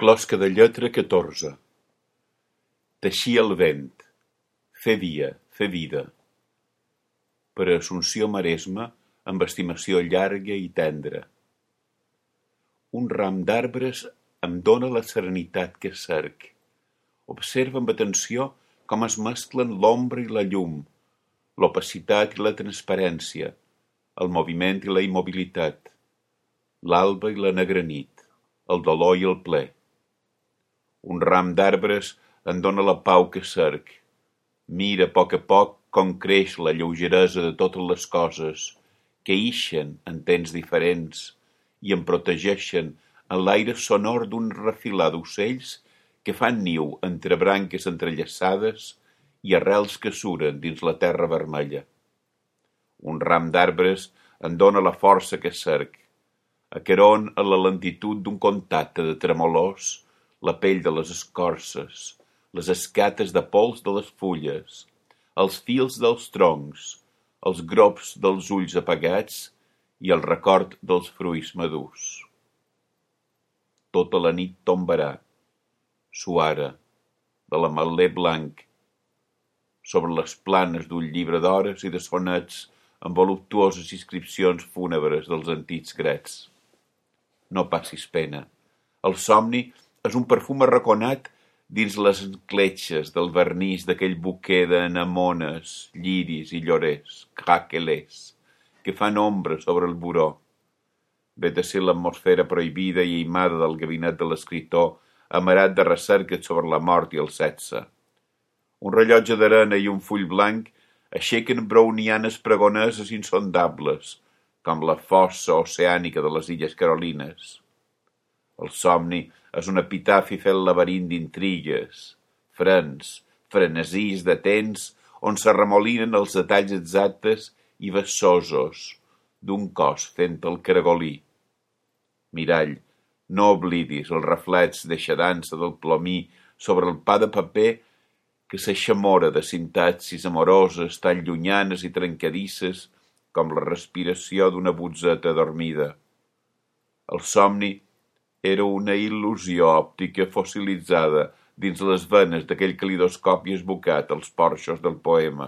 Closca de lletra 14. Teixir el vent, fer dia, fer vida. Per a Assumpció Maresma, amb estimació llarga i tendra. Un ram d'arbres em dóna la serenitat que cerc. Observa amb atenció com es mesclen l'ombra i la llum, l'opacitat i la transparència, el moviment i la immobilitat, l'alba i la negra nit, el dolor i el ple. Un ram d'arbres em dóna la pau que cerc. Mira a poc com creix la lleugeresa de totes les coses que ixen en temps diferents i em protegeixen en l'aire sonor d'un refilar d'ocells que fan niu entre branques entrellaçades i arrels que suren dins la terra vermella. Un ram d'arbres em dóna la força que cerc. Aqueron a la lentitud d'un contacte de tremolors, la pell de les escorces, les escates de pols de les fulles, els fils dels troncs, els grops dels ulls apagats i el record dels fruits madurs. Tota la nit tombarà, suara, de l'ametler blanc, sobre les planes d'un llibre d'hores i de sonets amb voluptuoses inscripcions fúnebres dels antics grecs. No passis pena. El somni és un perfum arraconat dins les encletxes del vernís d'aquell buquer d'anemones, lliris i llorers, craquelers, que fan ombra sobre el buró. Ve de ser l'atmosfera prohibida i aïmada del gabinet de l'escriptor, amarat de recerques sobre la mort i el sexe. Un rellotge d'arena i un full blanc aixequen brownianes pregoneses insondables, com la fossa oceànica de les Illes Carolines. El somni és un epitafi fet laberint d'intrigues, frens, frenesís de temps on s'arremolinen els detalls exactes i vessosos d'un cos fent el caragolí. Mirall, no oblidis el reflex d'eixadança del plomí sobre el pa de paper que s'eixamora de sintaxis amoroses tan llunyanes i trencadisses com la respiració d'una butzeta adormida. El somni era una il·lusió òptica fossilitzada dins les venes d'aquell calidoscopi esbocat als porxos del poema.